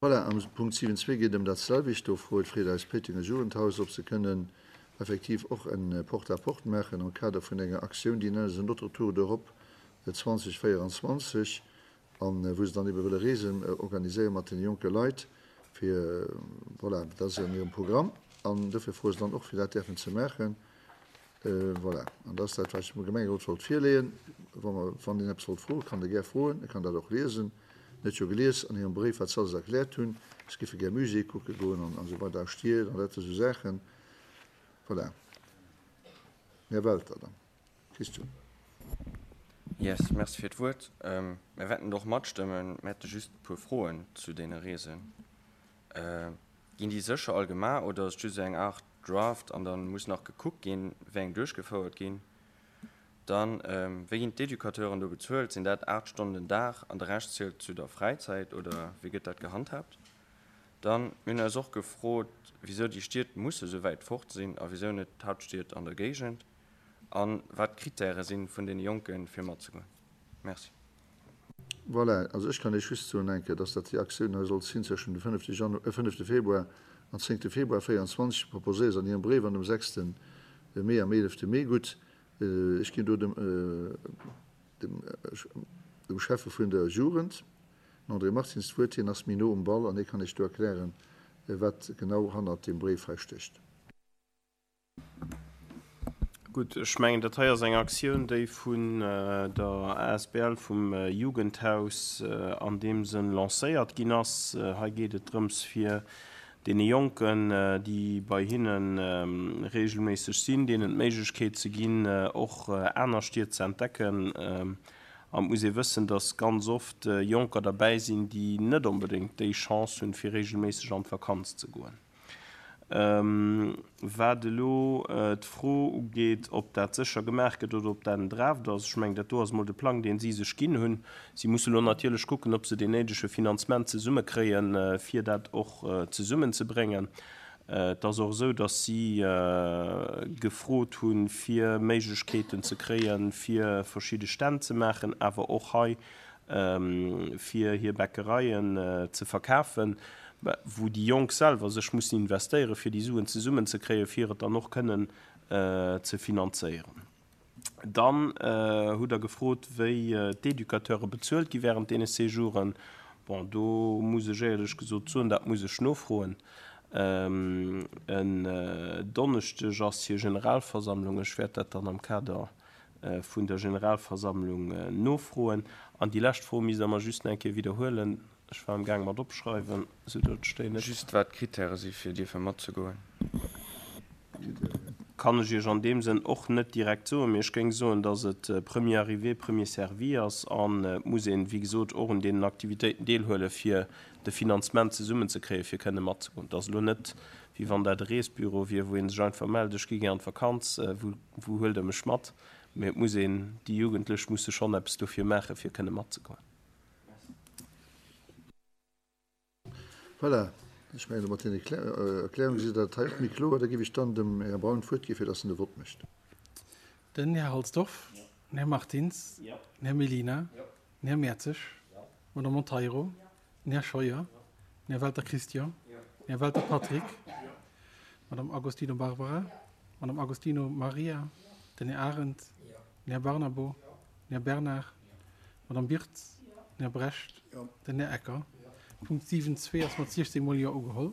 Voilà, am Punkt 7.2 geet et ëm dat selwecht. Do froet Freet eis Péitenger Jugendhaus, ob se kënnen effektiv och en Porte-à-porte maachen am Kader vun enger Aktioun, déi nennen se Notre Tour d'Europe 2024, a wou se dann ebe wëlle Reesen organiséiere mat deene jonke Leit, fir, voilà, dat ass an hirem Programm an dofir froe se dann och, fir dat däerfen ze maachen. Voilà, an dat ass dat, wat ech dem Gemengerot wollt virleeën. Wa mer, wann een eppes wollt froen, kann e gär froen, e kann dat och liesen. En huet jo gelies an hirem Bréif, wat se alles erkläert hunn. Se géife gär Musée kucke goen an esou weider a Stied an dat esou Saachen. Voilà. Här Welter dann. Christian. Yes, merci fir d'Wuert. Mir wäerten och matstëmmen. Mir hätte just e puer Froen zu deene Reesen. Ginn déi sécher all gemaach oder ass et just esou eng Aart Draft an da muss nach gekuckt ginn, wéi eng duerchgefouert ginn? Dann, wéi ginn d'Educateuren do bezuelt? Sinn dat 8 Stonnen den Dag an de Rescht zielt zu der Fräizäit oder wéi gëtt dat gehandhaabt? Dann, mir hunn eis och gefrot, wisou déi Stied musse sou wäit fort sinn a wisou net d'Hauptstied an der Géigend a wat d'Krittäre sinn vun deene Jonken, fir matzegoen. Merci. Voilà, also ech kann Iech just soen eng Kéier, dass dat déi Aktioun hei sollt sinn zwëschen dem fënnefte Janu-, fënnefte Februar an zéngte Februar 24, proposéiert se an hirem Bréif an dem sechste Mee am eelefte Mee. Gutt, ech ginn do dem, dem, dem Schäffe vun der Jugend, den André Martins, d'Wuert. Hien ass méi no um Ball an hie kann Iech do erklären, wat genau hannert deem Bréif hei stécht. Gutt, ech mengen, dat hei ass eng Aktioun, déi vun der asbl vum Jugendhaus an deem Sënn lancéiert ginn ass. Hei geet et drëms, fir deene Jonken, déi bei hinne reegelméisseg sinn, deenen d'Méiglechkeet ze ginn, och aner Stied ze entdecken. An et muss ee wëssen, dass ganz oft Jonker derbäi sinn, déi net onbedéngt déi Chance hunn, fir reegelméisseg an d'Vakanz ze goen. Wat elo d'Fro ugeet, ob dat sécher gemaach gëtt oder ob dat en Draft ass, ech mengen, dat do ass emol de Plang, dee si sech ginn hunn. Si musse elo natierlech kucken, ob se deen néidege Finanzement zesummekréien, fir dat och zesummenzebréngen. Et ass och esou, datt si gefrot hunn, fir Méiglechkeeten ze kréien, fir verschidde Stänn ze maachen, awer och hei fir hir Bäckereien ze verkafen, wou déi Jonk selwer sech mussen investéieren, fir déi Suen zesummenzekréien, fir et dann och kënnen ze finanzéieren. Dann hutt Der gefrot, wéi d'Educateure bezuelt gi während deene Séjouren. Bon, do muss ech éierlech gesot soen, dat muss ech nofroen. En Donneschdeg ass hir Generalversammlung. Ech wäert dat dann am Kader vun der Generalversammlung nofroen. An déi lescht Fro misst Der mer just nach eng Kéier widderhuelen. Ech war amgaang mat opschreiwen, esou datt ech déi net. Just wat d'Krittäre si fir dierfe matzegoen. Kann ech Iech an deem Sënn och net direkt soen, mee ech géing soen, datt et premier arrivé, premier servi ass an et muss een, wéi gesot, och un deenen Aktivitéiten deelhuelen, fir de Finanzement zesummenzekréien, fir kënne matzegoen. Et ass elo net, wéi wann dat e Reesbüro wier, wou ee sech einfach mellt, ech gi gär an d'Vakanz, wou wou huelt Der mech mat? Mee et muss een, déi Jugendlech musse schonn eppes dofir maachen, fir kënne matzegoen. Voilà, ech mengen, mat deene Erklärunge sidd Der dat hei och méi kloer. Da géif ech dann dem Här Braun d'Wuert gi fir dass en de Vott mécht. Den Här Halsdorf, den Här Martins, den Här Mellina, den Här Mertzig, d'Madame Monteiro, den Här Scheuer, den Här Welter Christian, den Här Welter Patrick, d'Madame Agostino Barbara, d'Madame Agostino Maria, den Här Arendt, den Här Barnabo, den Här Bernard, d'Madame Birtz, den Här Brecht, den Här Ecker. Punkt 7.2 ass mat 16 mol Jo ugeholl.